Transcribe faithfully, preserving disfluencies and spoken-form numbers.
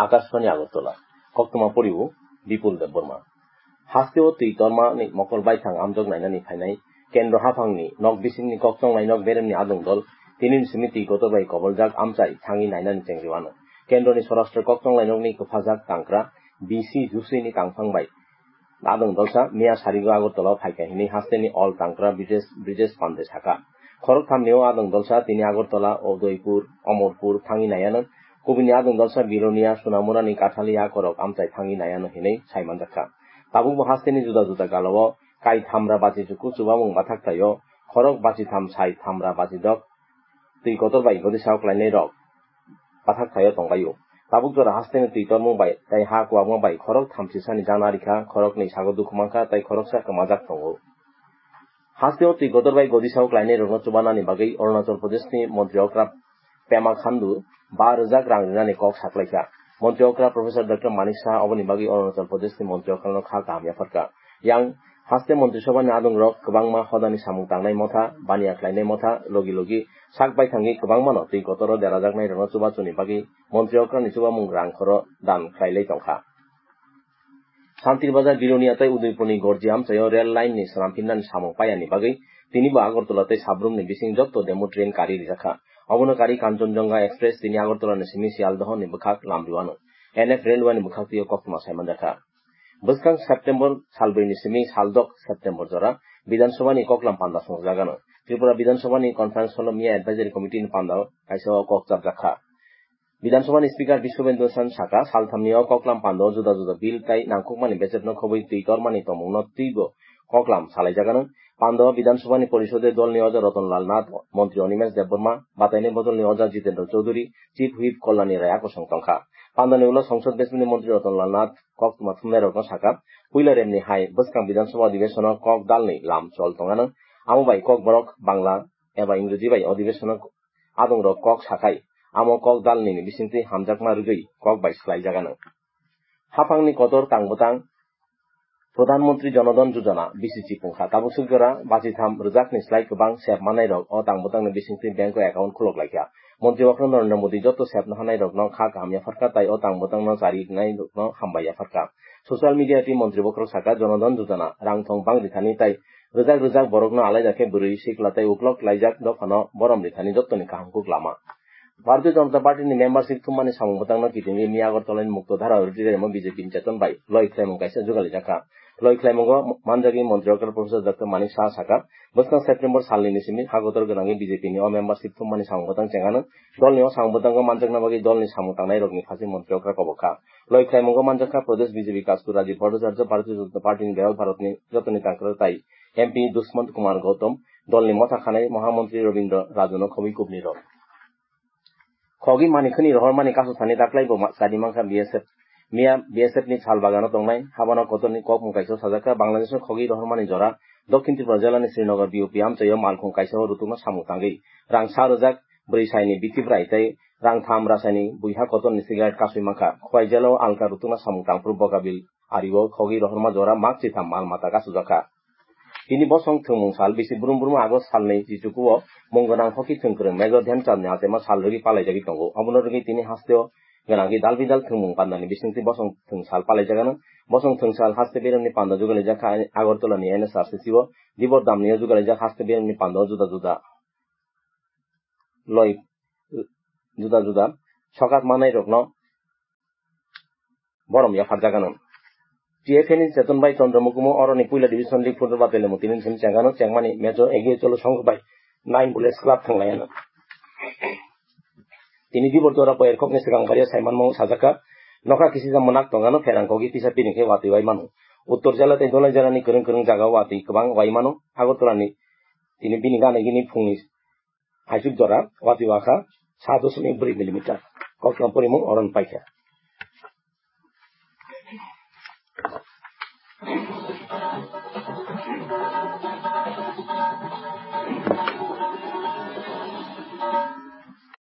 Akashbani Agartala, koktwma poriwo Bipul Debbarma. Hasteo twi tormani mokol baithang amjok nainani phainai Kendro haphangni nok bisingni kokchonglai nok beremni adong dol tinini simi twi kotor bai koboljak amchai thangwi nainani chengriwano. Kendroni Swarashtra kokchonglai nokni kwphajak tangkra B C Jusini tangphang bai adong dolsa miya sarigo Agartala phaikha hinwi hasteni All Tangkra Brijesh, Brijesh Pande saka. Khorok thamni o adong dolsa tini Agartala, Udaipur, Omorpur thangwi naiyano. Kubuni adong dolsa Bilonia, Sunamurani Kathali akorok amchai thangwi naiyano hinwi saimanjakha. Tabukbo hasteni juda juda galao kai thamra bachi chuku chubamung bathak taio, khorok bachi tham sai thamra bachi dok twi kotor bai godi sao klainai rok bathak thaio tongbaio. Tabuk jora hasteni twi tormung bai tei ha kuwakma bai khorok thamsisani jana rikha, khoroknwi sago dukhu mankha tei khoroksa kwmajak tongo. Hasteo twi kotor bai godi sao klainai rokno chubanani bagwi Arunachal Pradeshni montri okra Pema Khandu ba rwjak rang rinani kok saklaikha. Montri okra Professor Doctor Manik Saha oboni bagwi Arunachal Pradeshni montri okrano kha kaham yapharkha. Yang haste montri sobhani adongrok kwbangma hodani samung tangnai motha, baniya khlainai motha, logi logi sak baithangwi kwbangmano twi kotoro derajaknairokno chubachuni bagwi montri okrani chubamung rang khoro dan khlailai tongkha. Santir Bazar Bilonia tei Udaipurni Gorji amchaio rail line ni swnamphirnani samung paiyani bagwi tinibo Agartala tei Sabrumni bising jotto demo train kari rijakha. Obono kari Kanchanjunga Express tini Agartala ni simi Sialdohni bwkhak Lamdiwano N F Railway ni bwkhaktwio koktwma saimanjakha. Bwskang September salbrwi ni simi saldok September jora Bidhan Sabha ni koklam panda swngjagano. Tripura Bidhan Sabha ni conference hall o miya advisory committee ni panda o kaisa o kok chapjakha. Bidhan Sabha ni Speaker Biswabendra Singh saka, salthamni o koklam panda o juda juda bill tai nangkukmani bechepno khobwi twi tormani tongmungno twibo koklam salaijagano. Panda o Bidhan Sabha ni Porisode dolni oja Ratan Lal Nath, Montri Animesh Debbarma, bataini bodolni oja Jitendra Chaudhary, Chief Whip Kalyani Rai akosong tongkha. Pandani ulo Songsod Bechmani Montri Ratan Lal Nath koktwma thumnairokno saka, puila remni hai bwskang Bidhan Sabha Adhibesono kok dalni lam chol tongano, amo bai Kokborok Bangla eba Ingreji bai Adhibesono adongrok kok sakhai, amo kok dalnini bisingtwi hamjakma rwgwi kok bai swlaijagano. Haphangni kotor tang bwtang Pradhan Mantri Jan Dhan Yojana B C G pungkha. Tabuk swk jora bachitham rwjakni slai kwbang sep manairok o tang bwtangni bisingtwi bank o account khulok laikha. Montri okra Narendra Modi joto sep nahanairokno kha kaham yapharkha tai o tang bwtangno chari rwnairokno hambai yapharkha. Social media twi montri bokhorok saka, Jan Dhan Yojana rang thong bang rithani tai rwjak rwjak borokno alaida khe bwrwi sikla tei uklok laijak dophano borom rithani jottoni kaham kuk lama. Bharatiya Janata Party ni membership thummani samung bwtangno kitingwi miya Agartala ni Mukto Dhara auditorium o B J P ni cheton bai loi khlaimung kaisa jugalijak kha. Loi khlaimungo manjagwi Montri okra Professor Doctor Manik Saha saka, bwskang September salni ni simi ha kotor gwnangwi B J P ni o membership thummani samung bwtang chengano. Dolni o samung bwtango manjakna bagwi dolni samung tangnairokni phaising Montri okra kobok kha. Loi khlaimungo manjakha Pradesh B J P Kastur Rajiv Bhattacharya, Bharatiya Janata Party ni Bihar Bharat ni jotoni tangkra tai M P Dushwant Kumar Gautam, dolni motha khanai Mahamantri Rabindra Rajuno khobwi kubni rok. Khogwi mani khwni rohormani kasu thani daklai bo ma-, chadi mankha B S F. Miya B S F ni sal bagano tongnai, habano kotorni kokmung kaisa sajakha, Bangladesh o khogwi rohormani jora, Dokhin Tripura jela ni Srinagar B O P amchaio malkhung kaisa o rutukno samung tangwi rang sa rwjak bwrwi saini biti bwrai tei rang tham rasaini buiha kotorni cigarette kasui mankha. Khwai jela o alka rutukna samung tangphuru Bogabil ario khogwi rohorma jora mak chitham mal mata kasujakha. Tini bosong thwngmung sal bisi brum brum August salni chichukuo mung gwnang hockey thwngkwrwng Major Dhyan Chandni achaima sal rwgwi palaijagwi tongo. Obono rwgwi tini hasteo gwnangwi dal bidal thwngmung pandani bisingtwi bosong thwng sal palaijagano. Bosong thwng sal haste beremni panda jugalijak kha Agartala ni N S R C C o. Dibor damni o jugalijak haste beremni panda o juda juda loi juda juda sokat manairokno borom yapharjagano. T F A ni cheton bai Chandra Mukumo oroni puila division league football battle ni mutini simi chengano chengmani match o egiye cholo songkho bai nine bullets club thanglayano. Tini dibor jora poyar kokni swkang baria saimanmao sajakha, nokha kisijak mwnak tongano pherang kogi tisa piring khe watwi wai mano. Uttor jela tei Dholai jela ni kwrwng kwrwng jaga watwi kwbang wai mano. Agartala ni tini bini gana gini phungni Aisuk jora watwi wakha sa dosmik bwrwi millimeter. Koktwma porimung oron paikha.